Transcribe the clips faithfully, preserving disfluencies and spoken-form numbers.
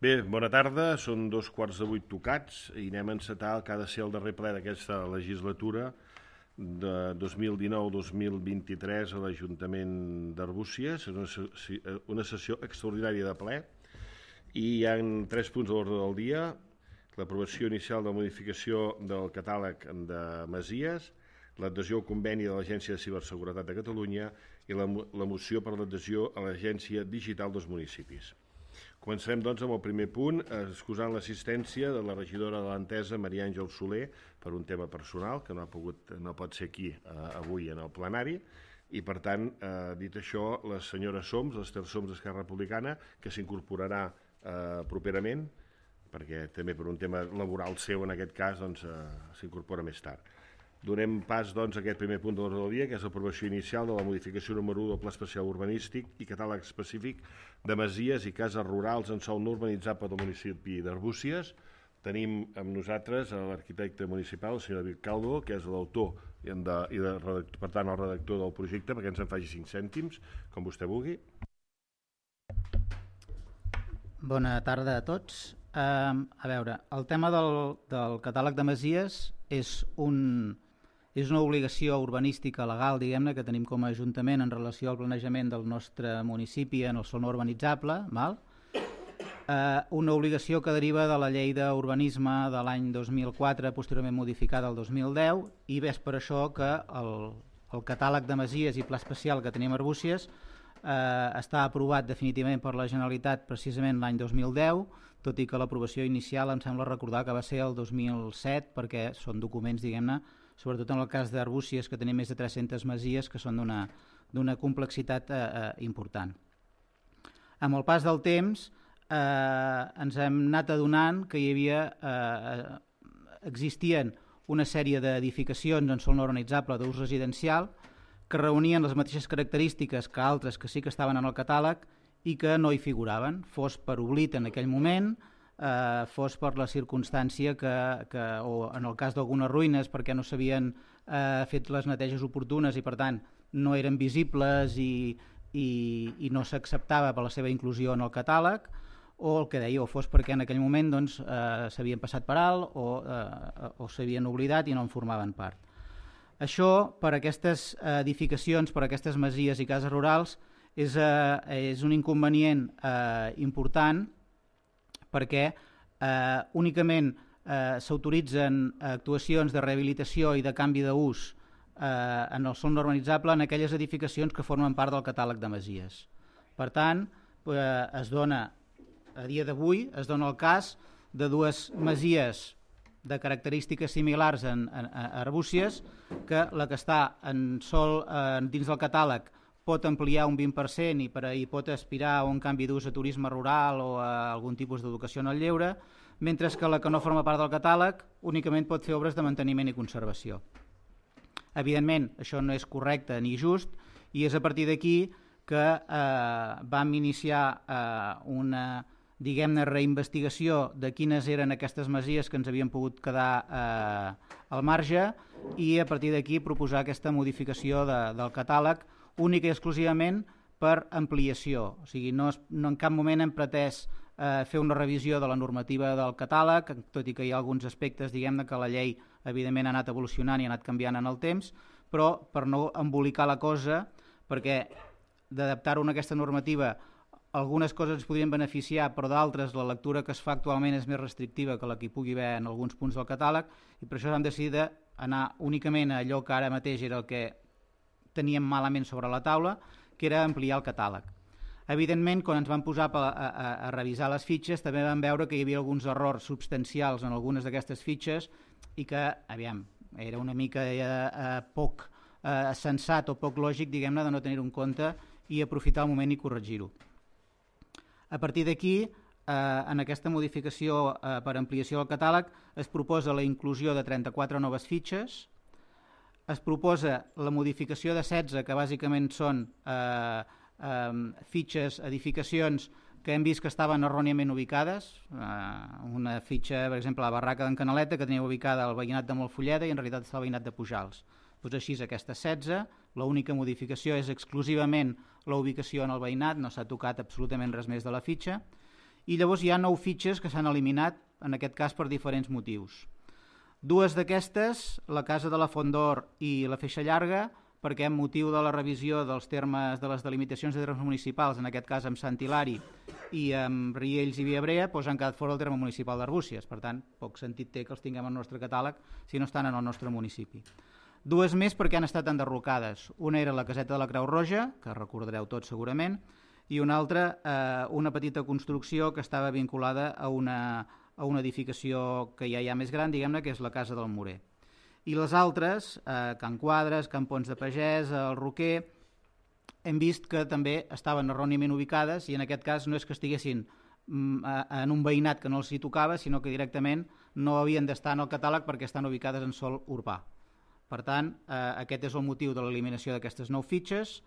Bé, bona tarda, són dos quarts de vuit tocats i anem a encetar el que ha de ser el darrer ple d'aquesta legislatura de dos mil dinou dos mil vint-i-tres a l'Ajuntament d'Arbúcies. És una sessió extraordinària de ple i hi ha tres punts a l'ordre del dia: l'aprovació inicial de la modificació del catàleg de masies, l'adhesió al conveni de l'Agència de Ciberseguretat de Catalunya i la, la moció per l'adhesió a l'Agència Digital dels Municipis. Començarem, doncs, amb el primer punt, excusant l'assistència de la regidora de l'Entesa, Maria Àngel Soler, per un tema personal, que no, ha pogut, no pot ser aquí eh, avui en el plenari, i, per tant, eh, dit això, la senyora Soms, l'Ester Soms d'Esquerra Republicana, que s'incorporarà eh, properament, perquè també per un tema laboral seu, en aquest cas, doncs, eh, s'incorpora més tard. Donem pas, doncs, a aquest primer punt de l'ordre del dia, que és l'aprovació inicial de la modificació número u del Pla Especial Urbanístic i catàleg específic de masies i cases rurals en sòl no urbanitzable del municipi d'Arbúcies. Tenim amb nosaltres l'arquitecte municipal, el senyor David Calvo, que és l'autor i, de, i de, per tant el redactor del projecte, perquè ens en faci cinc cèntims, com vostè vulgui. Bona tarda a tots. Uh, a veure, el tema del, del catàleg de masies és un... És una obligació urbanística legal, diguem-ne, que tenim com a Ajuntament en relació al planejament del nostre municipi en el sòl no urbanitzable, val? Eh, una obligació que deriva de la llei d'urbanisme de l'any dos mil quatre, posteriorment modificada el dos mil deu, i és per això que el, el catàleg de masies i pla especial que tenim a Arbúcies eh, està aprovat definitivament per la Generalitat precisament l'any dos mil deu, tot i que l'aprovació inicial em sembla recordar que va ser el dos mil set, perquè són documents, diguem-ne, sobretot en el cas d'Arbúcies, que tenim més de tres-centes masies que són d'una d'una complexitat eh, eh, important. Amb el pas del temps eh, ens hem anat adonant que hi havia eh, existien una sèrie d'edificacions en sòl no urbanitzable d'ús residencial que reunien les mateixes característiques que altres que sí que estaven en el catàleg i que no hi figuraven, fos per oblit en aquell moment, Eh, fos per la circumstància que, que o en el cas d'algunes ruïnes perquè no s'havien eh, fet les neteges oportunes i per tant no eren visibles i, i, i no s'acceptava per la seva inclusió en el catàleg, o el que deia, o fos perquè en aquell moment doncs, eh, s'havien passat per alt o, eh, o s'havien oblidat i no en formaven part. Això, per aquestes edificacions, per aquestes masies i cases rurals, és, eh, és un inconvenient eh, important, perquè eh, únicament eh, s'autoritzen actuacions de rehabilitació i de canvi d'ús eh, en el sòl no urbanitzable en aquelles edificacions que formen part del catàleg de masies. Per tant, eh, es dona, a dia d'avui, es dona el cas de dues masies de característiques similars en, en, en Arbúcies, que la que està en sòl eh, dins del catàleg pot ampliar un vint per cent i per ahir pot aspirar a un canvi d'ús a turisme rural o a algun tipus d'educació en el lleure, mentre que la que no forma part del catàleg únicament pot fer obres de manteniment i conservació. Evidentment, això no és correcte ni just i és a partir d'aquí que eh, vam iniciar eh, una, diguem-ne, reinvestigació de quines eren aquestes masies que ens havien pogut quedar eh, al marge i a partir d'aquí proposar aquesta modificació de, del catàleg única i exclusivament per ampliació. O sigui, no, no en cap moment hem pretès eh, fer una revisió de la normativa del catàleg, tot i que hi ha alguns aspectes, diguem-ne, que la llei evidentment ha anat evolucionant i ha anat canviant en el temps, però per no embolicar la cosa, perquè d'adaptar-ho a aquesta normativa algunes coses ens podrien beneficiar, però d'altres la lectura que es fa actualment és més restrictiva que la que hi pugui haver en alguns punts del catàleg, i per això hem decidit anar únicament a allò que ara mateix era el que teníem malament sobre la taula, que era ampliar el catàleg. Evidentment, quan ens vam posar a, a, a revisar les fitxes, també vam veure que hi havia alguns errors substancials en algunes d'aquestes fitxes i que, aviam, era una mica eh, eh, poc eh, sensat o poc lògic, diguem-ne, de no tenir-ho en compte i aprofitar el moment i corregir-ho. A partir d'aquí, eh, en aquesta modificació eh, per ampliació del catàleg, es proposa la inclusió de trenta-quatre noves fitxes. Es proposa la modificació de setze, que bàsicament són eh, eh, fitxes, edificacions que hem vist que estaven erròniament ubicades. Eh, una fitxa, per exemple, la barraca d'en Canaleta, que tenia ubicada al veïnat de Moltfulleda i en realitat està al veïnat de Pujals. Doncs així, aquestes setze, l'única modificació és exclusivament la ubicació en el veïnat, no s'ha tocat absolutament res més de la fitxa. i llavors hi ha nou fitxes que s'han eliminat, en aquest cas per diferents motius. Dues d'aquestes, la Casa de la Font d'Or i la Feixa Llarga, perquè amb motiu de la revisió dels termes de les delimitacions de termes municipals, en aquest cas amb Sant Hilari i amb Riells i Viabrea, doncs han quedat fora del terme municipal d'Arbúcies. Per tant, poc sentit té que els tinguem al nostre catàleg si no estan en el nostre municipi. Dues més perquè han estat enderrocades. Una era la Caseta de la Creu Roja, que recordareu tots segurament, i una altra, eh, una petita construcció que estava vinculada a una, a una edificació que ja hi ha més gran, diguem-ne, que és la Casa del Morer. I les altres, eh, Can Quadres, Can Pons de Pagès, el Roquer, hem vist que també estaven erròniament ubicades i en aquest cas no és que estiguessin en un veïnat que no els hi tocava, sinó que directament no havien d'estar en el catàleg perquè estan ubicades en sòl urbà. Per tant, eh, aquest és el motiu de l'eliminació d'aquestes nou fitxes.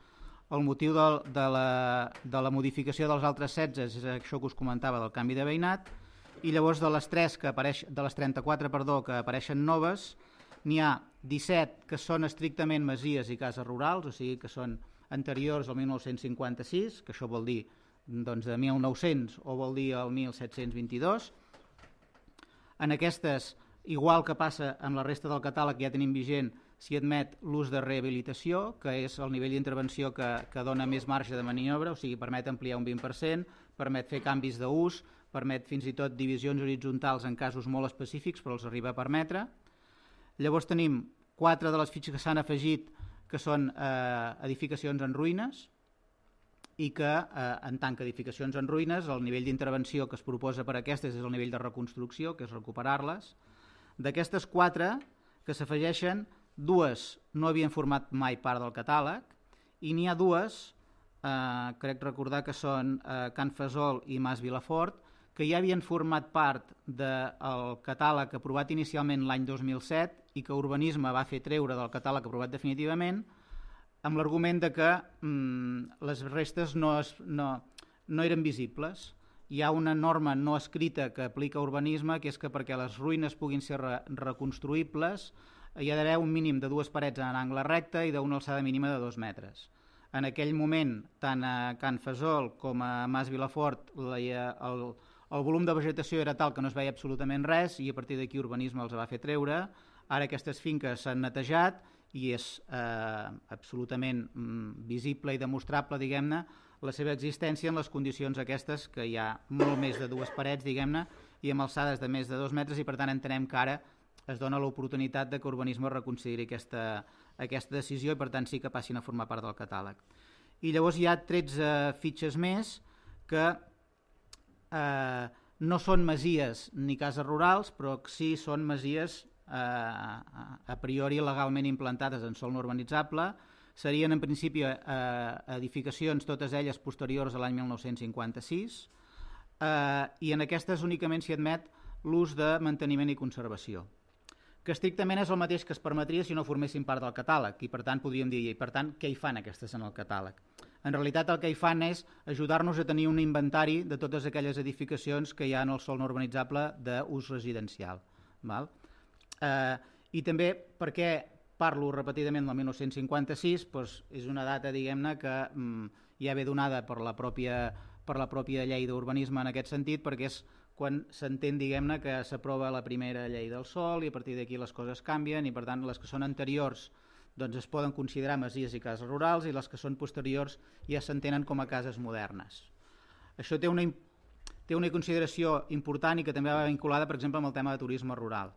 El motiu de, de, la, de la modificació dels altres setze és això que us comentava del canvi de veïnat, i llavors de les, tres que apareix, de les trenta-quatre perdó, que apareixen noves, n'hi ha disset que són estrictament masies i cases rurals, o sigui que són anteriors al mil nou-cents cinquanta-sis, que això vol dir doncs, de mil nou-cents o vol dir el mil set-cents vint-i-dos. En aquestes, igual que passa amb la resta del catàleg que ja tenim vigent, s'hi admet l'ús de rehabilitació, que és el nivell d'intervenció que, que dona més marge de maniobra, o sigui, permet ampliar un vint per cent, permet fer canvis d'ús, permet fins i tot divisions horitzontals en casos molt específics, però els arriba a permetre. Llavors tenim quatre de les fitxes que s'han afegit que són eh, edificacions en ruïnes i que eh, en tant que edificacions en ruïnes el nivell d'intervenció que es proposa per a aquestes és el nivell de reconstrucció, que és recuperar-les. D'aquestes quatre que s'afegeixen, dues no havien format mai part del catàleg i n'hi ha dues, eh, crec recordar que són eh, Can Fesol i Mas Vilafort, que ja havien format part del catàleg aprovat inicialment l'any dos mil set i que Urbanisme va fer treure del catàleg aprovat definitivament amb l'argument de que mm, les restes no, es, no, no eren visibles. Hi ha una norma no escrita que aplica Urbanisme, que és que perquè les ruïnes puguin ser re reconstruïbles hi ha d'haver un mínim de dues parets en angle recte i d'una alçada mínima de dos metres. En aquell moment, tant a Can Fesol com a Mas Vilafort, la, el, el volum de vegetació era tal que no es veia absolutament res i a partir d'aquí Urbanisme els va fer treure. Ara aquestes finques s'han netejat i és eh, absolutament mm, visible i demostrable, diguem-ne, la seva existència en les condicions aquestes, que hi ha molt més de dues parets, diguem-ne, i amb alçades de més de dos metres, i per tant entenem que ara es dona l'oportunitat de que Urbanisme reconsideri aquesta, aquesta decisió i per tant sí que passin a formar part del catàleg. I llavors hi ha tretze fitxes més que eh, no són masies ni cases rurals, però sí són masies eh, a priori legalment implantades en sòl no urbanitzable. Serien en principi eh, edificacions, totes elles posteriors a l'any mil nou-cents cinquanta-sis, eh, i en aquestes únicament s'hi admet l'ús de manteniment i conservació, que estrictament és el mateix que es permetria si no formessin part del catàleg, i per tant podríem dir, i per tant, què hi fan aquestes en el catàleg? En realitat el que hi fan és ajudar-nos a tenir un inventari de totes aquelles edificacions que hi ha en el sòl no urbanitzable d'ús residencial. Val? Eh, I també, per què parlo repetidament del mil nou-cents cinquanta-sis, doncs és una data, diguem-ne, que mm, ja ve donada per la pròpia, per la pròpia llei d'urbanisme en aquest sentit, perquè és quan s'entén, diguem-ne, que s'aprova la primera llei del sòl i a partir d'aquí les coses canvien i per tant les que són anteriors doncs es poden considerar masies i cases rurals i les que són posteriors ja s'entenen com a cases modernes. Això té una, té una consideració important i que també va vinculada, per exemple, amb el tema de turisme rural.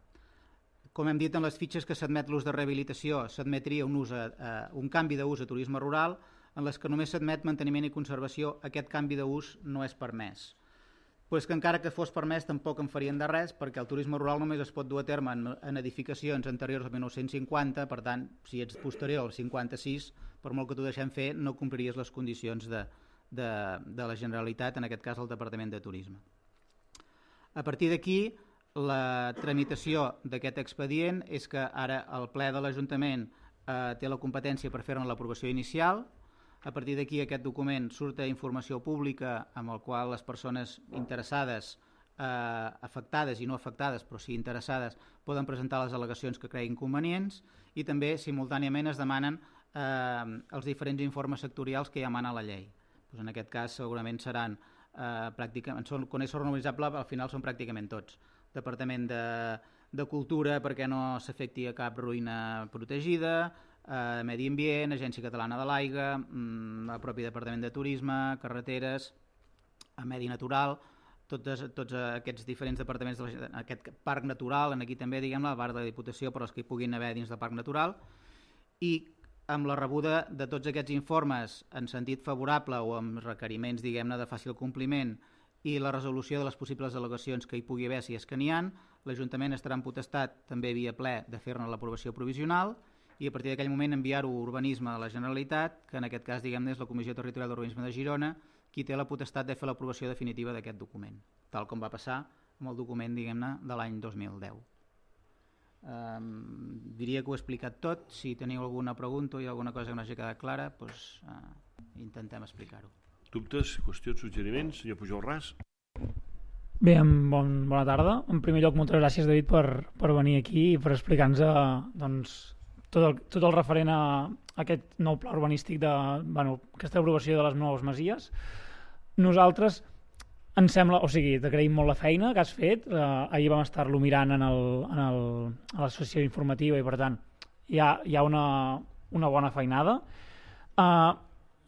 Com hem dit, en les fitxes que s'admet l'ús de rehabilitació s'admetria un, ús a, a, un canvi d'ús a turisme rural, en les que només s'admet manteniment i conservació, aquest canvi d'ús no és permès. Però és que encara que fos permès tampoc en farien de res perquè el turisme rural només es pot dur a terme en, en edificacions anteriors al mil nou-cents cinquanta, per tant, si ets posterior al cinquanta-sis, per molt que t'ho deixem fer, no compliries les condicions de, de, de la Generalitat, en aquest cas el Departament de Turisme. A partir d'aquí, la tramitació d'aquest expedient és que ara el ple de l'Ajuntament eh, té la competència per fer-ne l'aprovació inicial. A partir d'aquí aquest document surt a informació pública amb el qual les persones interessades, eh, afectades i no afectades, però sí interessades, poden presentar les al·legacions que creguin convenients i també simultàniament es demanen eh, els diferents informes sectorials que ja emana la llei. Pues en aquest cas segurament seran eh, pràcticament, són, quan és urbanitzable al final són pràcticament tots. Departament de, de Cultura perquè no s'afecti a cap ruïna protegida, eh, Medi Ambient, Agència Catalana de l'Aigua, mm, el propi Departament de Turisme, Carreteres, a Medi Natural, tots, tots aquests diferents departaments d'aquest parc natural, en aquí també, diguem-ne, a part de la Diputació, però els que hi puguin haver dins del parc natural, i amb la rebuda de tots aquests informes en sentit favorable o amb requeriments, diguem-ne, de fàcil compliment i la resolució de les possibles al·legacions que hi pugui haver si és que n'hi ha, l'Ajuntament estarà en potestat també via ple de fer-ne l'aprovació provisional i a partir d'aquell moment enviar-ho a Urbanisme de la Generalitat, que en aquest cas, diguem-ne, és la Comissió Territorial d'Urbanisme de Girona, qui té la potestat de fer l'aprovació definitiva d'aquest document, tal com va passar amb el document, diguem-ne, de l'any dos mil deu. Um, diria que ho he explicat tot. Si teniu alguna pregunta o alguna cosa que no hagi quedat clara, doncs, uh, intentem explicar-ho. Dubtes, qüestions, suggeriments? Senyor Pujol Ras? Bé, bon, bona tarda. En primer lloc, moltes gràcies, David, per, per venir aquí i per explicar-nos uh, doncs, tot, el, tot el referent a aquest nou pla urbanístic de, bueno, aquesta aprovació de les noves masies. Nosaltres ens sembla, o sigui, t'agraïm molt la feina que has fet, eh, ahir vam estar-lo mirant en el, en el, a la sessió informativa i per tant hi ha, hi ha una, una bona feinada. Uh,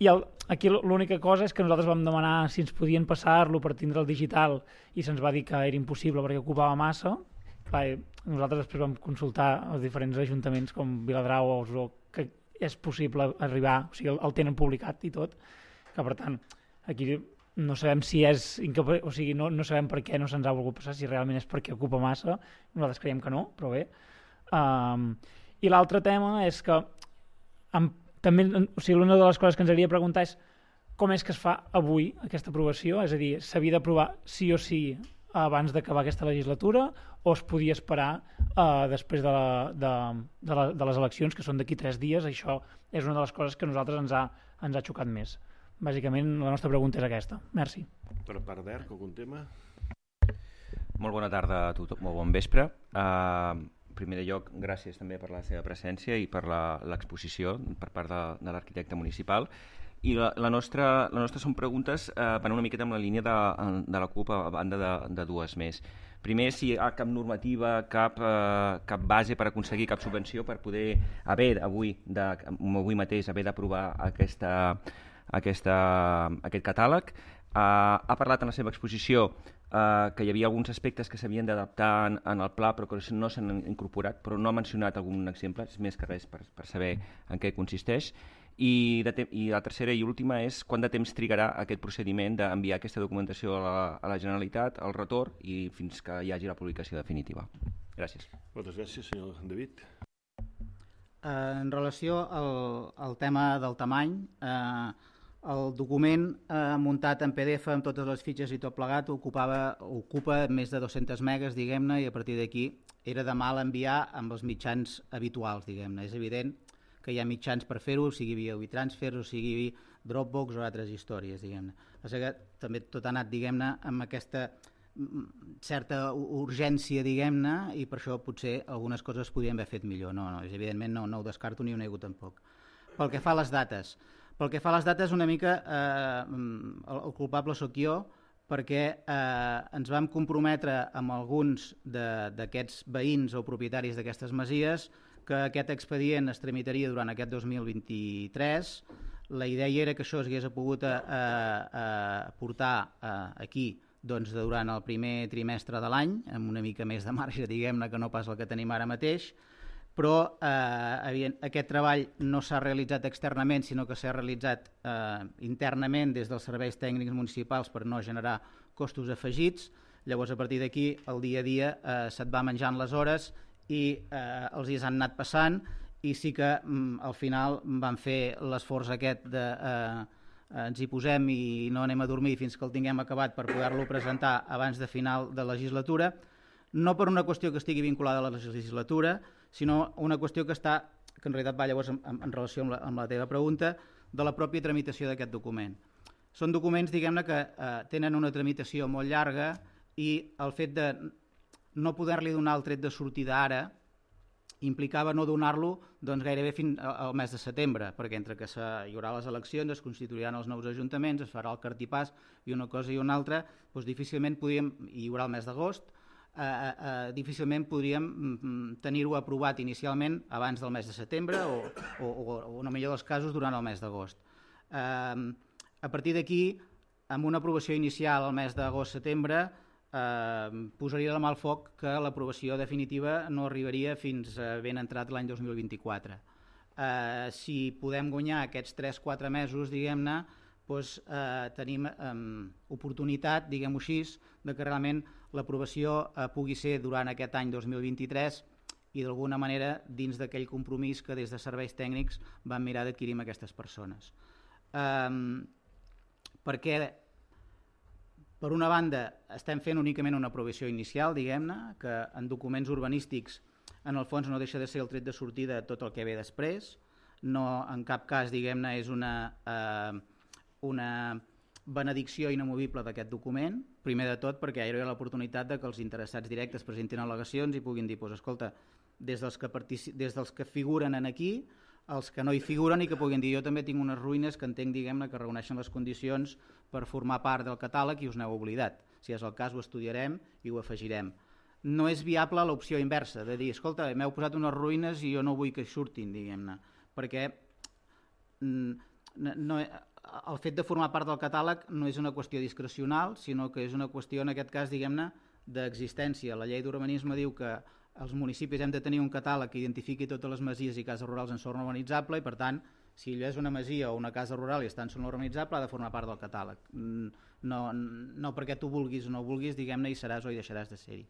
i el, aquí l'única cosa és que nosaltres vam demanar si ens podien passar-lo per tindre el digital i se'ns va dir que era impossible perquè ocupava massa. Clar, nosaltres després vam consultar els diferents ajuntaments com Viladrau o Osó, que és possible arribar, o sigui, el, el tenen publicat i tot, que per tant aquí no sabem si és incapa... o sigui, no, no sabem per què no se'ns ha volgut passar, si realment és perquè ocupa massa, nosaltres creiem que no, però bé. Um, I l'altre tema és que amb, també, o sigui, una de les coses que ens hauria de preguntar és com és que es fa avui aquesta aprovació, és a dir, s'havia d'aprovar sí o sí abans d'acabar aquesta legislatura o es podia esperar uh, després de, la, de, de, la, de les eleccions, que són d'aquí tres dies. Això és una de les coses que a nosaltres ens ha, ens ha xocat més. Bàsicament la nostra pregunta és aquesta. Merci. Per part d'Erc, algun tema? Molt bona tarda a tothom, molt bon vespre. Uh, en primer lloc, gràcies també per la seva presència i per l'exposició per part de, de l'arquitecte municipal. I la, la, nostra, la nostra són preguntes eh, van una miqueta amb la línia de, de la CUP a banda de, de dues més. Primer, si hi ha cap normativa, cap, eh, cap base per aconseguir cap subvenció per poder haver avui, de, avui mateix haver d'aprovar aquesta, aquesta, aquest catàleg. Eh, ha parlat en la seva exposició eh, que hi havia alguns aspectes que s'havien d'adaptar en, en el pla però que no s'han incorporat, però no ha mencionat algun exemple, és més que res per, per saber en què consisteix. I, de I la tercera i última és quant de temps trigarà aquest procediment d'enviar aquesta documentació a la, a la Generalitat, al retorn i fins que hi hagi la publicació definitiva. Gràcies. Moltes gràcies, senyor David. En relació al, al tema del tamany, eh, el document eh, muntat en P D F amb totes les fitxes i tot plegat ocupava, ocupa més de dos-centes megas, diguem-ne, i a partir d'aquí era de mal enviar amb els mitjans habituals, diguem-ne. És evident que hi ha mitjans per fer-ho, sigui via WeTransfer o sigui via Dropbox o altres històries, diguem-ne. O sigui que també tot ha anat, diguem-ne, amb aquesta certa urgència, diguem-ne, i per això potser algunes coses podrien haver fet millor. No, no, evidentment no, no ho descarto ni ho nego tampoc. Pel que fa a les dates, pel que fa a les dates una mica eh, el, el culpable sóc jo, perquè eh, ens vam comprometre amb alguns d'aquests veïns o propietaris d'aquestes masies que aquest expedient es tramitaria durant aquest dos mil vint-i-tres. La idea era que això es hagués pogut a, a, a portar a, aquí doncs, durant el primer trimestre de l'any, amb una mica més de marge, diguem-ne, que no pas el que tenim ara mateix, però eh, aquest treball no s'ha realitzat externament, sinó que s'ha realitzat eh, internament des dels serveis tècnics municipals per no generar costos afegits. Llavors, a partir d'aquí, el dia a dia eh, se't va menjant les hores i eh, els dies han anat passant i sí que mm, al final van fer l'esforç aquest de eh, ens hi posem i no anem a dormir fins que el tinguem acabat per poder-lo presentar abans de final de legislatura, no per una qüestió que estigui vinculada a la legislatura, sinó una qüestió que està, que en realitat va llavors en, en relació amb la, amb la teva pregunta, de la pròpia tramitació d'aquest document. Són documents, diguem-ne, que eh, tenen una tramitació molt llarga i el fet de no poder-li donar el tret de sortida ara implicava no donar-lo doncs, gairebé fins al mes de setembre, perquè entre que hi haurà les eleccions, es constituiran els nous ajuntaments, es farà el cartipàs i una cosa i una altra, doncs difícilment podríem, i hi haurà el mes d'agost, eh, eh, difícilment podríem mm, tenir-ho aprovat inicialment abans del mes de setembre o, o, o, o en el millor dels casos durant el mes d'agost. Eh, a partir d'aquí, amb una aprovació inicial al mes d'agost-setembre, Eh, posaria la mà al foc que l'aprovació definitiva no arribaria fins a ben entrat l'any dos mil vint-i-quatre. Eh, si podem guanyar aquests tres quatre mesos, diguem-ne, doncs, eh, tenim eh, oportunitat, diguem-ho així, de que realment l'aprovació eh, pugui ser durant aquest any dos mil vint-i-tres i d'alguna manera dins d'aquell compromís que des de serveis tècnics vam mirar d'adquirir amb aquestes persones. Eh, perquè Per una banda, estem fent únicament una aprovació inicial, diguem-ne, que en documents urbanístics en el fons no deixa de ser el tret de sortida de tot el que ve després. No, en cap cas, diguem-ne, és una, eh, una benedicció inamovible d'aquest document. Primer de tot, perquè hi ha l'oportunitat de que els interessats directes presentin al·legacions i puguin dir, pues, escolta, des dels, que partici- des dels que figuren en aquí, els que no hi figuren i que puguin dir jo també tinc unes ruïnes que entenc, diguem-ne, que reuneixen les condicions per formar part del catàleg i us n'heu oblidat. Si és el cas ho estudiarem i ho afegirem. No és viable l'opció inversa, de dir, escolta, m'heu posat unes ruïnes i jo no vull que surtin, diguem-ne, perquè no, el fet de formar part del catàleg no és una qüestió discrecional, sinó que és una qüestió, en aquest cas, diguem-ne, d'existència. La llei d'urbanisme diu que els municipis hem de tenir un catàleg que identifiqui totes les masies i cases rurals en sòl urbanitzable i, per tant, si allò és una masia o una casa rural i està en sòl urbanitzable, ha de formar part del catàleg. No, no perquè tu vulguis o no vulguis, diguem-ne, hi seràs o hi deixaràs de ser-hi.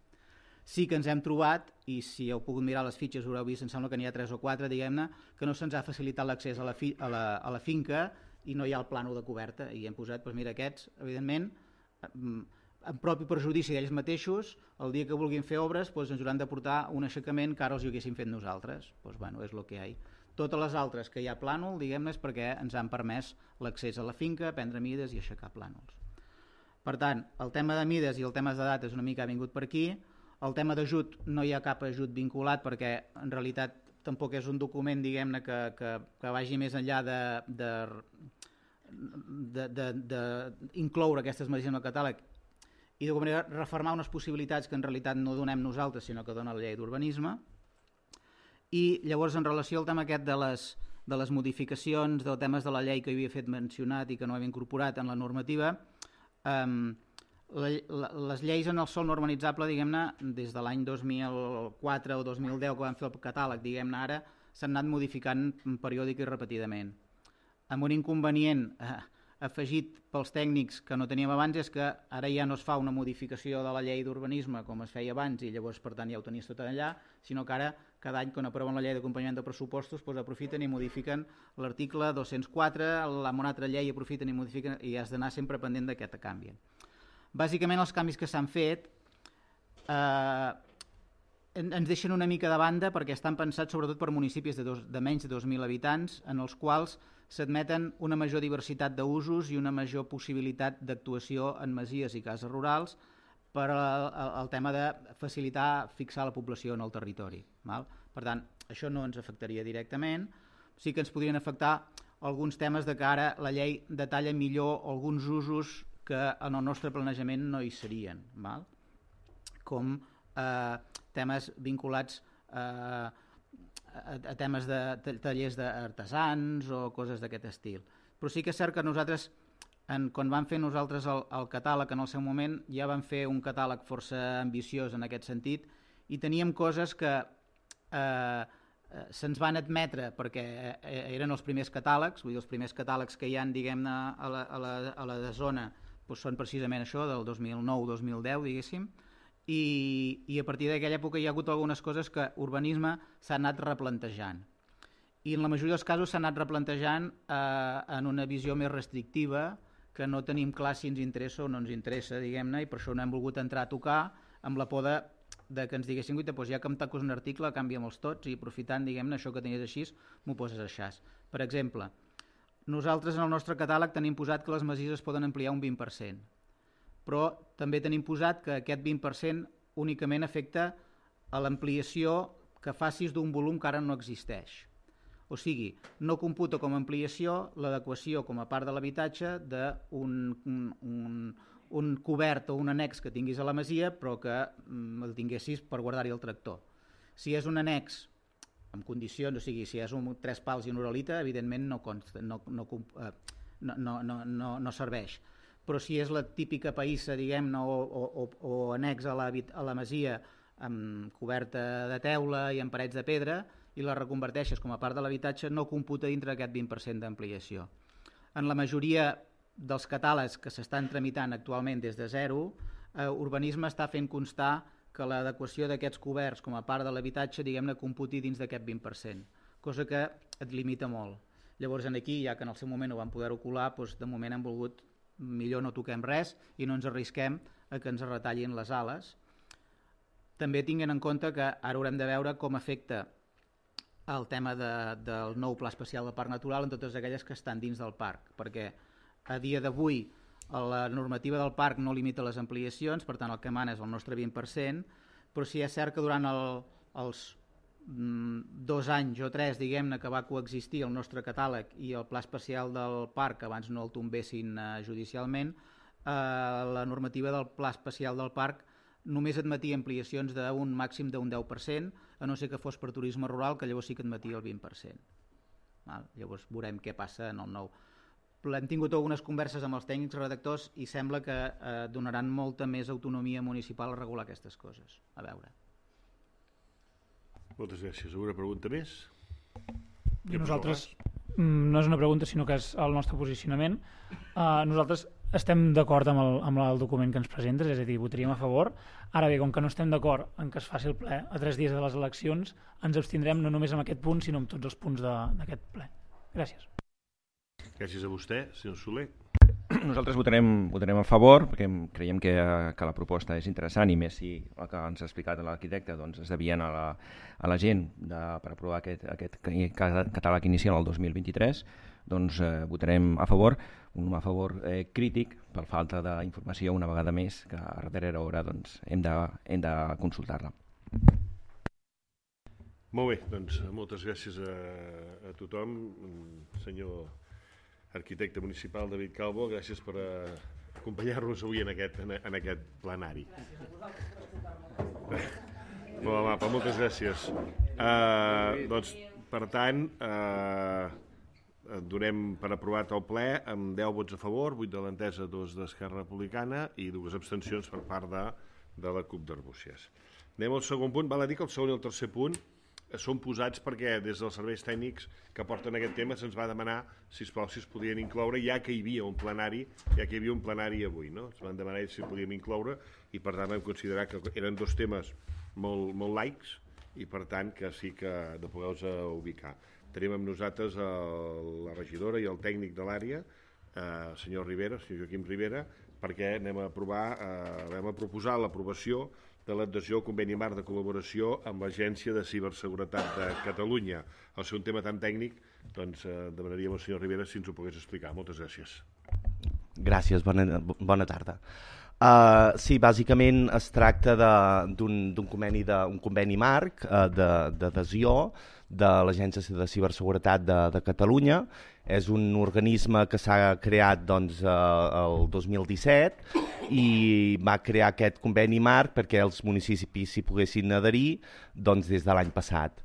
Sí que ens hem trobat, i si heu pogut mirar les fitxes haureu vist, em sembla que n'hi ha tres o quatre, diguem-ne, que no se'ns ha facilitat l'accés a, la fi, a, la, a la finca i no hi ha el plànol de coberta. I hem posat, doncs mira, aquests, evidentment, en propi perjudici d'ells mateixos, el dia que vulguin fer obres doncs ens hauran de portar un aixecament que ara els hi haguéssim fet nosaltres. Doncs bueno, és el que hi ha. Totes les altres que hi ha plànol, diguem-ne, és perquè ens han permès l'accés a la finca, prendre mides i aixecar plànols. Per tant, el tema de mides i el tema de dates una mica ha vingut per aquí. El tema d'ajut no hi ha cap ajut vinculat perquè en realitat tampoc és un document, diguem-ne, que, que, que vagi més enllà de, de, de, de, de incloure aquestes masies en el catàleg i d'alguna manera refermar unes possibilitats que en realitat no donem nosaltres, sinó que dona la llei d'urbanisme. I llavors, en relació al tema aquest de les, de les modificacions, dels temes de la llei que hi havia fet mencionat i que no hem incorporat en la normativa, eh, la, la, les lleis en el sòl no urbanitzable, diguem-ne, des de l'any dos mil quatre o dos mil deu que vam fer el catàleg, diguem-ne ara, s'han anat modificant periòdic i repetidament. Amb un inconvenient eh, afegit pels tècnics que no teníem abans és que ara ja no es fa una modificació de la llei d'urbanisme com es feia abans i llavors per tant ja ho tenies tot allà, sinó que ara cada any quan aproven la llei d'acompanyament de pressupostos doncs aprofiten i modifiquen l'article dos-cents quatre, amb una altra llei aprofiten i modifiquen i has d'anar sempre pendent d'aquest canvi. Bàsicament els canvis que s'han fet eh, ens deixen una mica de banda perquè estan pensats sobretot per municipis de, dos, de menys de dos mil habitants en els quals s'admeten una major diversitat d'usos i una major possibilitat d'actuació en masies i cases rurals per al, al tema de facilitar fixar la població en el territori. Val? Per tant, això no ens afectaria directament. Sí que ens podrien afectar alguns temes de que ara la llei detalla millor alguns usos que en el nostre planejament no hi serien. Val? Com eh, temes vinculats eh, a, a temes de tallers d'artesans o coses d'aquest estil. Però sí que és cert que nosaltres, en, quan vam fer nosaltres el, el catàleg en el seu moment, ja vam fer un catàleg força ambiciós en aquest sentit i teníem coses que eh, se'ns van admetre perquè eren els primers catàlegs, vull dir, els primers catàlegs que hi ha, diguem-ne, a la, a la, a la zona doncs són precisament això, del dos mil nou dos mil deu, diguéssim, I, i a partir d'aquella època hi ha hagut algunes coses que urbanisme s'ha anat replantejant i en la majoria dels casos s'ha anat replantejant eh, en una visió més restrictiva que no tenim clar si ens interessa o no ens interessa, diguem-ne, i per això no hem volgut entrar a tocar amb la por de, de que ens diguessin doncs ja que em tacos un article canvia'm-els tots i aprofitant, diguem-ne, això que tenies així m'ho poses així. Per exemple, nosaltres en el nostre catàleg tenim posat que les masies es poden ampliar un vint per cent, però també tenim posat que aquest vint per cent únicament afecta a l'ampliació que facis d'un volum que ara no existeix. O sigui, no computa com a ampliació l'adequació com a part de l'habitatge d'un un, un, un cobert o un annex que tinguis a la masia, però que mm, el tinguessis per guardar-hi el tractor. Si és un annex amb condicions, o sigui, si és un tres pals i una uralita, evidentment no, consta, no, no, eh, no, no, no, no, no serveix. Però si és la típica païssa, diguem-ne, o, o, o annex a la, a la masia amb coberta de teula i amb parets de pedra, i la reconverteixes com a part de l'habitatge, no computa dintre d'aquest vint per cent d'ampliació. En la majoria dels catàlegs que s'estan tramitant actualment des de zero, eh, Urbanisme està fent constar que l'adequació d'aquests coberts com a part de l'habitatge, diguem-ne, computi dins d'aquest vint per cent, cosa que et limita molt. Llavors, aquí, ja que en el seu moment ho vam poder colar, doncs, de moment hem volgut, millor no toquem res i no ens arrisquem a que ens retallin les ales. També tinguin en compte que ara haurem de veure com afecta el tema de, del nou pla especial del Parc Natural en totes aquelles que estan dins del parc, perquè a dia d'avui la normativa del parc no limita les ampliacions, per tant el que mana és el nostre vint per cent, però sí és cert que durant el, els mm, dos anys o tres, diguem-ne, que va coexistir el nostre catàleg i el pla especial del parc, abans no el tombessin eh, judicialment, eh, la normativa del pla especial del parc només admetia ampliacions d'un màxim d'un deu per cent, a no ser que fos per turisme rural, que llavors sí que admetia el vint per cent. Val? Llavors veurem què passa en el nou. Hem tingut algunes converses amb els tècnics redactors i sembla que eh, donaran molta més autonomia municipal a regular aquestes coses. A veure. Moltes gràcies. Alguna pregunta més? I nosaltres, no és una pregunta, sinó que és el nostre posicionament. Uh, nosaltres estem d'acord amb, el, amb el document que ens presentes, és a dir, votaríem a favor. Ara bé, com que no estem d'acord en que es faci el ple a tres dies de les eleccions, ens abstindrem no només en aquest punt, sinó en tots els punts d'aquest ple. Gràcies. Gràcies a vostè, senyor Soler. Nosaltres votarem, votarem a favor, perquè creiem que, que la proposta és interessant, i més si el que ens ha explicat l'arquitecte doncs, es devien a la, a la gent de, per aprovar aquest, aquest catàleg inicial el dos mil vint-i-tres, doncs eh, votarem a favor, un a favor eh, crític per falta d'informació una vegada més, que a darrera hora doncs, hem de, hem de consultar-la. Molt bé, doncs moltes gràcies a, a tothom. Senyor arquitecte municipal David Calvo, gràcies per uh, acompanyar-nos avui en aquest, en, en aquest plenari. Molt amable, moltes gràcies. Uh, doncs, per tant, uh, donem per aprovat el ple amb deu vots a favor, vuit de l'Entesa, dos d'Esquerra Republicana i dues abstencions per part de, de la CUP d'Arbúcies. Anem al segon punt. Val a dir que el segon i el tercer punt són posats perquè des dels serveis tècnics que porten aquest tema se'ns va demanar, sisplau, si es podien incloure, ja que hi havia un plenari, ja que hi havia un plenari avui, no? Ens van demanar si podíem incloure i per tant vam considerar que eren dos temes molt, molt laics i per tant que sí que de poder-los ubicar. Tenim amb nosaltres el, la regidora i el tècnic de l'àrea, eh, el senyor Rivera, el senyor Joaquim Rivera, perquè anem a aprovar, eh, vam a proposar l'aprovació de l'adhesió al conveni marc de col·laboració amb l'Agència de Ciberseguretat de Catalunya. Al ser un tema tan tècnic, doncs eh, demanaríem al senyor Rivera si ens ho pogués explicar. Moltes gràcies. Gràcies, bona, bona tarda. Uh, sí, bàsicament es tracta d'un conveni, de, un conveni marc uh, d'adhesió de l'Agència de Ciberseguretat de, de Catalunya. És un organisme que s'ha creat doncs, uh, el dos mil disset i va crear aquest conveni marc perquè els municipis s'hi poguessin adherir doncs, des de l'any passat.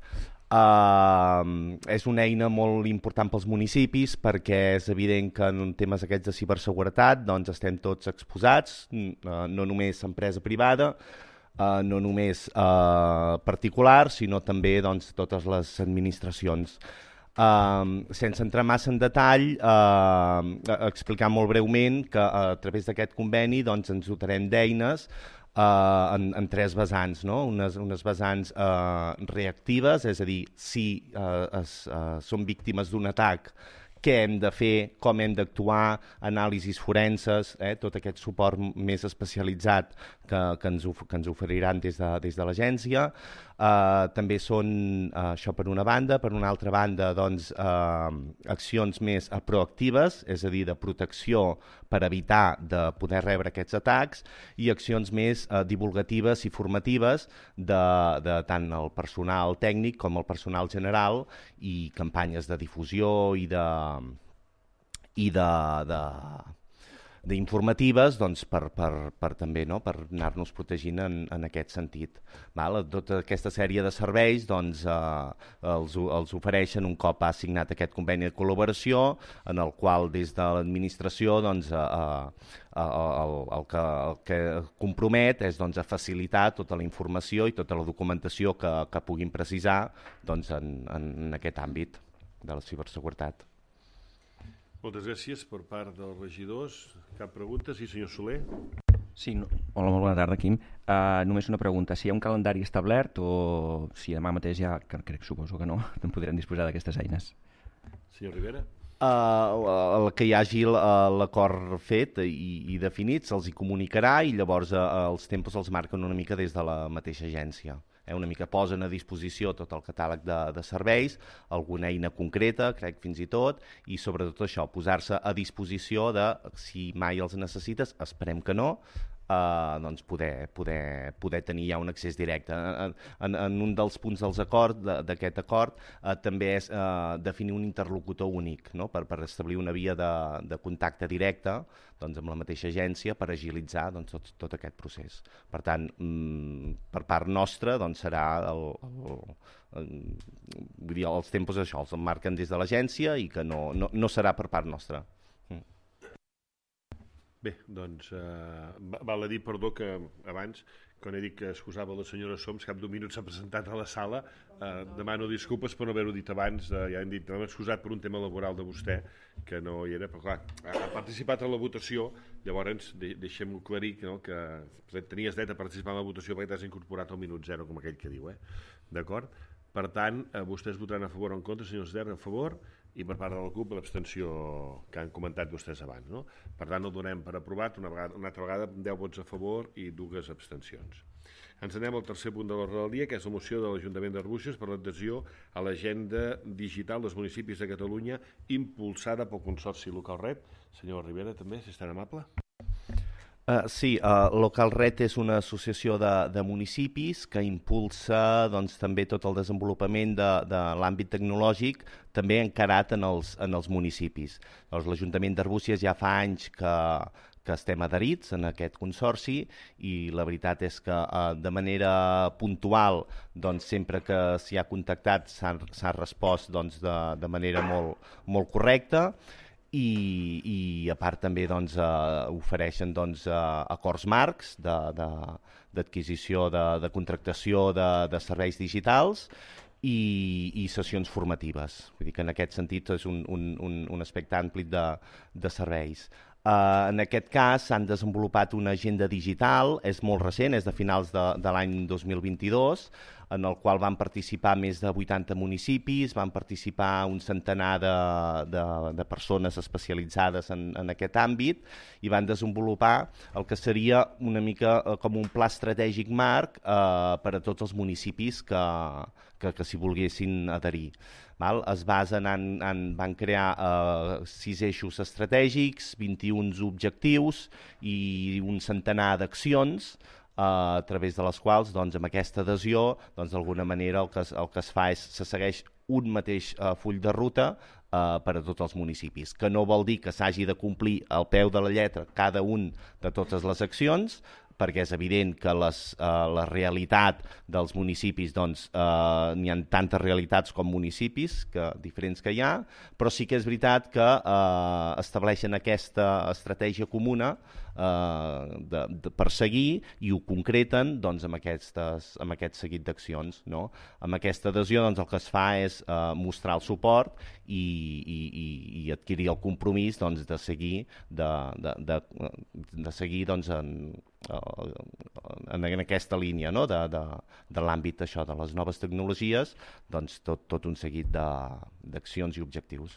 Uh, és una eina molt important pels municipis perquè és evident que en temes aquests de ciberseguretat doncs, estem tots exposats, uh, no només empresa privada, uh, no només uh, particulars, sinó també doncs, totes les administracions. Uh, sense entrar massa en detall, uh, explicar molt breument que uh, a través d'aquest conveni doncs, ens dotarem d'eines uh, en, en tres vessants, no? unes, unes vessants uh, reactives, és a dir, si uh, es, uh, són víctimes d'un atac què hem de fer, com hem d'actuar, anàlisis forenses, eh, tot aquest suport més especialitzat que, que, ens, of que ens oferiran des de, des de l'agència. Uh, també són, uh, això per una banda, per una altra banda, doncs, uh, accions més uh, proactives, és a dir, de protecció per evitar de poder rebre aquests atacs, i accions més uh, divulgatives i formatives de, de tant el personal tècnic com el personal general, i campanyes de difusió i de i de, de d'informatives, doncs, per, per, per també, no?, per anar-nos protegint en, en aquest sentit. Val? Tota aquesta sèrie de serveis, doncs, eh, els, els ofereixen un cop ha signat aquest conveni de col·laboració, en el qual des de l'administració, doncs, eh, eh, el, el, que, el que compromet és, doncs, a facilitar tota la informació i tota la documentació que, que puguin precisar, doncs, en, en aquest àmbit de la ciberseguretat. Moltes gràcies per part dels regidors. Cap pregunta? Sí, senyor Soler. Sí, no... Hola, molt bona tarda, Quim. Uh, només una pregunta. Si hi ha un calendari establert o si demà mateix ja, que crec, suposo que no, en podrem disposar d'aquestes eines? Senyor Rivera. Uh, el que hi hagi l'acord fet i, i definit se'ls hi comunicarà, i llavors uh, els tempos els marquen una mica des de la mateixa agència. Eh, una mica posen a disposició tot el catàleg de, de serveis, alguna eina concreta, crec fins i tot, i sobretot això, posar-se a disposició de, si mai els necessites, esperem que no, Uh, doncs poder, poder, poder tenir ja un accés directe. En, en, en un dels punts dels acords, d'aquest acord, uh, també és uh, definir un interlocutor únic, no?, per, per establir una via de, de contacte directe, doncs, amb la mateixa agència, per agilitzar, doncs, tot, tot aquest procés. Per tant, mm, per part nostra, doncs, serà el, el, el, vull dir, els tempos això, els marquen des de l'agència, i que no, no, no serà per part nostra. Bé, doncs, eh, val a dir, perdó, que abans, quan he dit que excusava la senyora Soms, cap d'un minut s'ha presentat a la sala, eh, demano disculpes per no haver-ho dit abans, eh, ja hem dit, hem excusat per un tema laboral de vostè, que no hi era, però clar, ha participat en la votació, llavors de, deixem-ho aclarir, no?, que tenies dret a participar en la votació perquè t'has incorporat al minut zero, com aquell que diu, eh? D'acord? Per tant, eh, vostès votaran a favor o en contra, senyor Esder, a favor, i per part de la CUP l'abstenció que han comentat vostès abans, no? Per tant, el donem per aprovat una, vegada, una altra vegada, deu vots a favor i dues abstencions. Ens anem al tercer punt de l'ordre del dia, que és la moció de l'Ajuntament d'Arbúcies per l'adhesió a l'agenda digital dels municipis de Catalunya impulsada pel Consorci Local Red. Senyor Rivera, també, si és tan amable. Uh, sí, uh, Local Red és una associació de, de municipis que impulsa, doncs, també tot el desenvolupament de, de l'àmbit tecnològic, també encarat en els, en els municipis. Doncs, l'Ajuntament d'Arbúcies ja fa anys que, que estem adherits en aquest consorci, i la veritat és que uh, de manera puntual, doncs, sempre que s'hi ha contactat s'ha respost, doncs, de, de manera molt, molt correcta. I, i a part també, doncs, eh, ofereixen, doncs, eh, acords marcs d'adquisició, de, de, de contractació de, de serveis digitals i, i sessions formatives. Vull dir que en aquest sentit és un, un, un, un aspecte ampli de, de serveis. Uh, en aquest cas s'han desenvolupat una agenda digital, és molt recent, és de finals de, de l'any dos mil vint-i-dos, en el qual van participar més de vuitanta municipis, van participar un centenar de, de, de persones especialitzades en, en aquest àmbit, i van desenvolupar el que seria una mica eh, com un pla estratègic marc eh, per a tots els municipis que, que, que s'hi volguessin adherir. Val? Es basen en, en van crear eh, sis eixos estratègics, vint-i-un objectius i un centenar d'accions, Uh, a través de les quals, doncs, amb aquesta adhesió, doncs, d'alguna manera el que, es, el que es fa és se segueix un mateix uh, full de ruta uh, per a tots els municipis, que no vol dir que s'hagi de complir al peu de la lletra cada un de totes les accions, perquè és evident que les, uh, la realitat dels municipis, doncs, uh, n'hi ha tantes realitats com municipis que, diferents que hi ha, però sí que és veritat que uh, estableixen aquesta estratègia comuna uh, de, de perseguir, i ho concreten, doncs, amb, aquestes, amb aquest seguit d'accions, no? Amb aquesta adhesió, doncs, el que es fa és uh, mostrar el suport i, i, i, i adquirir el compromís, doncs, de seguir, de, de, de, de seguir, doncs, en En, en aquesta línia, no?, de, de, de l'àmbit això de les noves tecnologies, doncs tot, tot un seguit d'accions i objectius.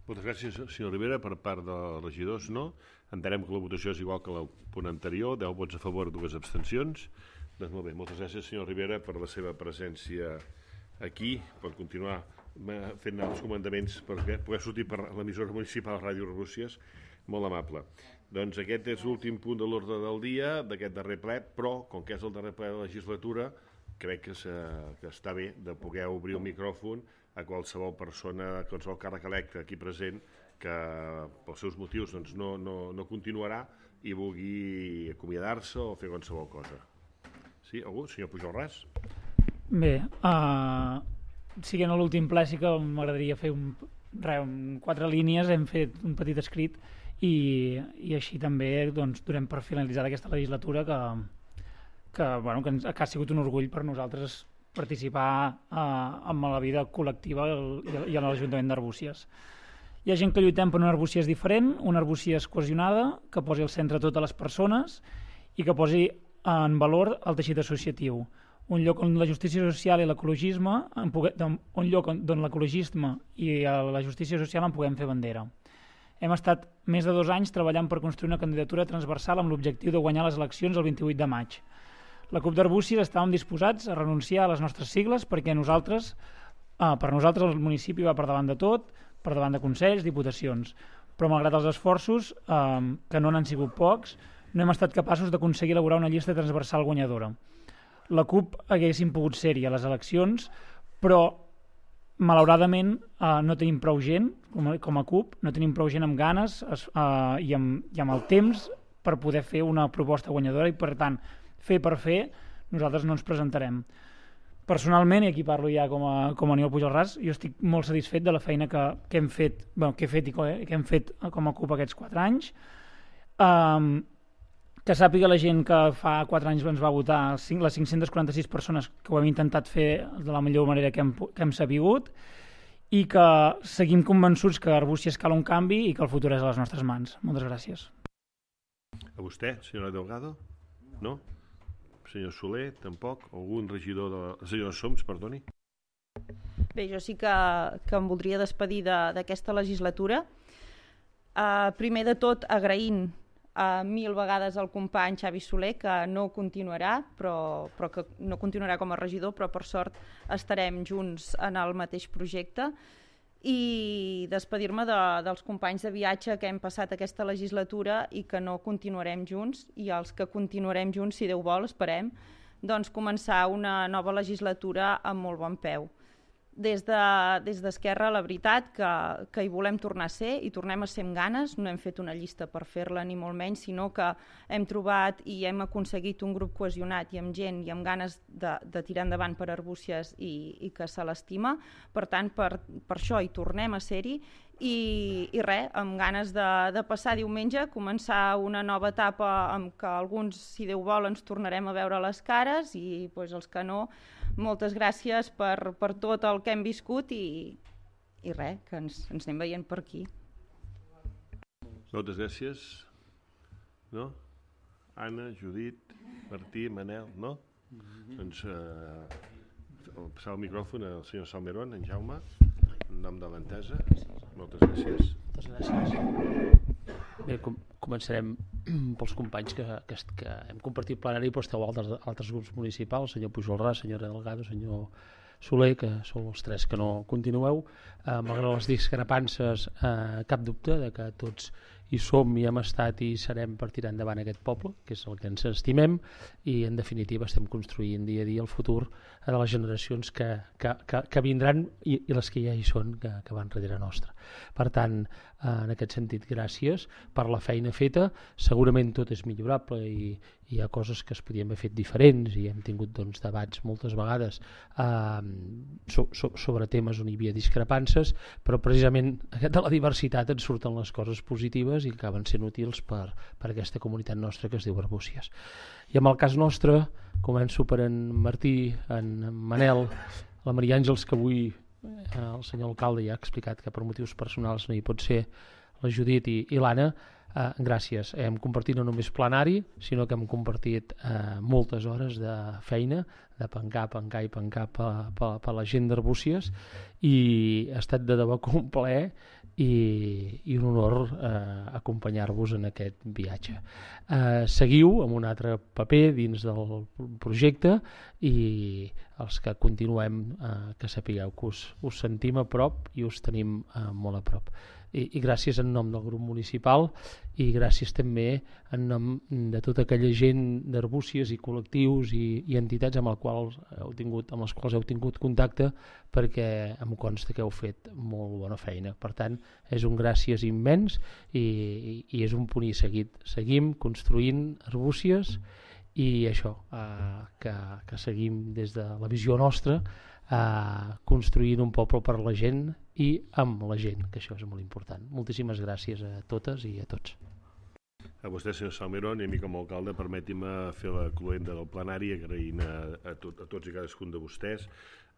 Moltes gràcies, senyor Rivera. Per part dels regidors, no. Entenem que la votació és igual que el punt anterior, deu vots a favor, dues abstencions. Doncs molt bé, moltes gràcies, senyor Rivera, per la seva presència aquí. Pot continuar fent els comandaments per poder sortir per l'emissora municipal Ràdio Arbúcies. Molt amable. Doncs aquest és l'últim punt de l'ordre del dia d'aquest darrer ple, però com que és el darrer ple de la legislatura, crec que, que està bé de poder obrir el micròfon a qualsevol persona, a qualsevol càrrec electe aquí present que pels seus motius doncs, no, no, no continuarà i vulgui acomiadar-se o fer qualsevol cosa. Sí, algú? Senyor Pujol Ras? Bé, uh, siguent l'últim ple sí que m'agradaria fer un, re, un, quatre línies, hem fet un petit escrit i, i així també doncs, donem per finalitzar aquesta legislatura que, que, bueno, que, ens, que ha sigut un orgull per nosaltres participar eh, en la vida col·lectiva i a l'Ajuntament d'Arbúcies. Hi ha gent que lluitem per una Arbúcies diferent, una Arbúcies cohesionada, que posi al centre totes les persones i que posi en valor el teixit associatiu. Un lloc on la justícia social i l'ecologisme, un lloc on l'ecologisme i la justícia social en puguem fer bandera. Hem estat més de dos anys treballant per construir una candidatura transversal amb l'objectiu de guanyar les eleccions el vint-i-vuit de maig. La CUP d'Arbúcies estàvem disposats a renunciar a les nostres sigles perquè nosaltres, eh, per nosaltres el municipi va per davant de tot, per davant de consells, diputacions, però malgrat els esforços, eh, que no n'han sigut pocs, no hem estat capaços d'aconseguir elaborar una llista transversal guanyadora. La CUP haguéssim pogut ser-hi a les eleccions, però malauradament eh, no tenim prou gent, com a, com a CUP, no tenim prou gent amb ganes eh, i, amb, i amb el temps per poder fer una proposta guanyadora i per tant fer per fer, nosaltres no ens presentarem. Personalment, i aquí parlo ja com a, com a Aniol Pujol Ras, jo estic molt satisfet de la feina que, que, hem, fet, bueno, que, he fet i que hem fet com a CUP aquests quatre anys. Um, que sàpiga la gent que fa quatre anys ens va votar, les cinc-centes quaranta-sis persones que ho hem intentat fer de la millor manera que hem, que hem sabut i que seguim convençuts que Arbúcies cal un canvi i que el futur és a les nostres mans. Moltes gràcies. A vostè, senyora Delgado? No? Senyor Soler, tampoc? Algun regidor de... La... Senyor Soms, perdoni. Bé, jo sí que, que em voldria despedir d'aquesta de, legislatura. Uh, primer de tot, agraint uh, mil vegades al company Xavi Soler, que no continuarà, però, però que no continuarà com a regidor, però per sort estarem junts en el mateix projecte. I despedir-me de, dels companys de viatge que hem passat aquesta legislatura i que no continuarem junts, i els que continuarem junts, si Déu vol, esperem, doncs començar una nova legislatura amb molt bon peu. Des de, des d'Esquerra, la veritat que, que hi volem tornar a ser, i tornem a ser amb ganes, no hem fet una llista per fer-la ni molt menys, sinó que hem trobat i hem aconseguit un grup cohesionat i amb gent i amb ganes de, de tirar endavant per Arbúcies i, i que se l'estima. Per tant, per, per això hi tornem a ser-hi i, i res, amb ganes de, de passar diumenge, començar una nova etapa amb què alguns, si Déu vol, ens tornarem a veure les cares i doncs, els que no, moltes gràcies per, per tot el que hem viscut i, i res, que ens, ens anem veient per aquí. Moltes gràcies. No? Anna, Judit, Martí, Manel, no? Mm-hmm. Doncs eh, passar el micròfon al senyor Salmerón, en Jaume, en nom de l'entesa. Moltes gràcies. Moltes gràcies. Bé, com, començarem pels companys que, que, que hem compartit plenari, però esteu altres, altres grups municipals, senyor Pujol Ras, senyora Delgado, senyor Soler, que sou els tres que no continueu. Eh, malgrat les discrepances, eh, cap dubte de que tots hi som i hem estat i serem per tirar endavant aquest poble, que és el que ens estimem, i en definitiva estem construint dia a dia el futur de les generacions que, que, que, que vindran i, i les que ja hi són, que, que van darrere nostra. Per tant, eh, en aquest sentit, gràcies per la feina feta. Segurament tot és millorable i, i hi ha coses que es podien haver fet diferents i hem tingut doncs, debats moltes vegades eh, so, so, sobre temes on hi havia discrepances, però precisament de la diversitat en surten les coses positives i acaben sent útils per, per aquesta comunitat nostra que es diu Arbúcies. I en el cas nostre, començo per en Martí, en Manel, la Maria Àngels, que avui eh, el senyor alcalde ja ha explicat que per motius personals no hi pot ser, la Judit i, i l'Anna. eh, gràcies. Hem compartit no només plenari, sinó que hem compartit eh, moltes hores de feina, de pencar, pencar i pencar per, per, per la gent d'Arbúcies, i ha estat de debò un plaer i, i un honor eh, acompanyar-vos en aquest viatge. Eh, seguiu amb un altre paper dins del projecte, i els que continuem, eh, que sapigueu que us, us sentim a prop i us tenim eh, molt a prop. I, i gràcies en nom del grup municipal, i gràcies també en nom de tota aquella gent d'Arbúcies i col·lectius i, i entitats amb, el qual heu tingut, amb les quals heu tingut contacte, perquè em consta que heu fet molt bona feina. Per tant, és un gràcies immens, i, i, i és un punt i seguit. Seguim construint Arbúcies, i això, eh, que, que seguim des de la visió nostra, eh, construint un poble per la gent i amb la gent, que això és molt important. Moltíssimes gràcies a totes i a tots. A vostè, senyor Salmerón, i a mi com a alcalde, permeti'm fer la cloenda del plenari, agraint a, a, tot, a tots i cadascun de vostès.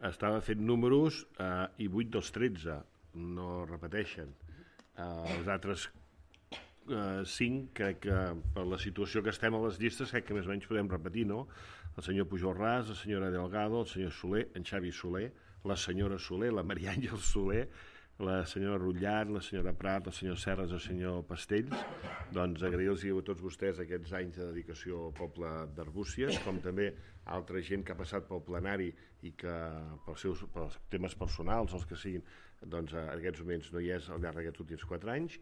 Estava fent números eh, i vuit dels tretze no repeteixen. Eh, els altres eh, cinc, crec que per la situació que estem a les llistes, crec que més o menys podem repetir, no? El senyor Pujol Ras, la senyora Delgado, el senyor Soler, en Xavi Soler, la senyora Soler, la Maria Àngel Soler, la senyora Rutllat, la senyora Prat, el senyor Serres, el senyor Pastells. Doncs agrair-los a tots vostès aquests anys de dedicació al poble d'Arbúcies, com també altra gent que ha passat pel plenari i que pels seus pels temes personals, els que siguin, doncs en aquests moments no hi és al llarg d'aquests últims quatre anys.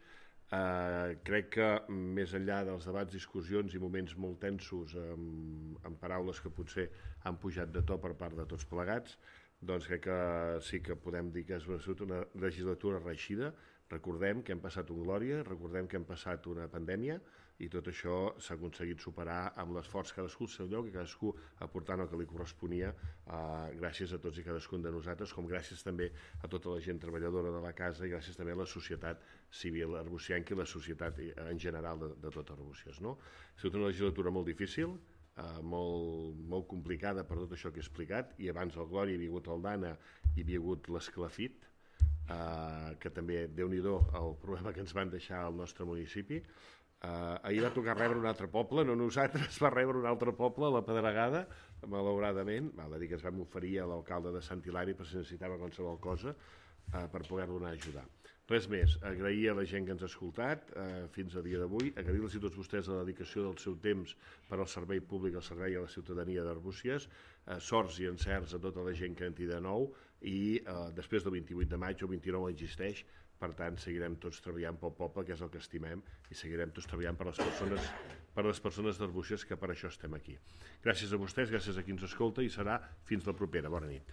Uh, crec que més enllà dels debats, discussions i moments molt tensos amb, amb paraules que potser han pujat de to per part de tots plegats, doncs crec que sí que podem dir que ha sigut una legislatura reeixida. Recordem que hem passat un glòria, recordem que hem passat una pandèmia, i tot això s'ha aconseguit superar amb l'esforç cadascú al seu lloc i cadascú aportant el que li corresponia, eh, gràcies a tots i cadascun de nosaltres, com gràcies també a tota la gent treballadora de la casa i gràcies també a la societat civil arbusianca i la societat en general de, de tot Arbúcies, no? Ha sigut una legislatura molt difícil, eh, molt, molt complicada per tot això que he explicat, i abans el Glòria hi havia hagut el Dana i hi havia hagut l'Esclafit, eh, que també, Déu-n'hi-do, el problema que ens van deixar al nostre municipi. Uh, ahir va tocar rebre un altre poble, no nosaltres, va rebre un altre poble, la Pedregada, malauradament. Val a dir que ens vam oferir a l'alcalde de Sant Hilari per si necessitava qualsevol cosa uh, per poder-lo anar a ajudar. Res més, agrair a la gent que ens ha escoltat uh, fins a dia d'avui, agrair-los a tots vostès la dedicació del seu temps per al servei públic, al servei a la ciutadania d'Arbúcies, uh, sorts i encerts a tota la gent que entri de nou, i uh, després del vint-i-vuit de maig, el vint-i-nou existeix. Per tant, seguirem tots treballant pel poble, que és el que estimem, i seguirem tots treballant per les persones, per les persones d'Arbúcies, que per això estem aquí. Gràcies a vostès, gràcies a qui ens escolta, i serà fins la propera. Bona nit.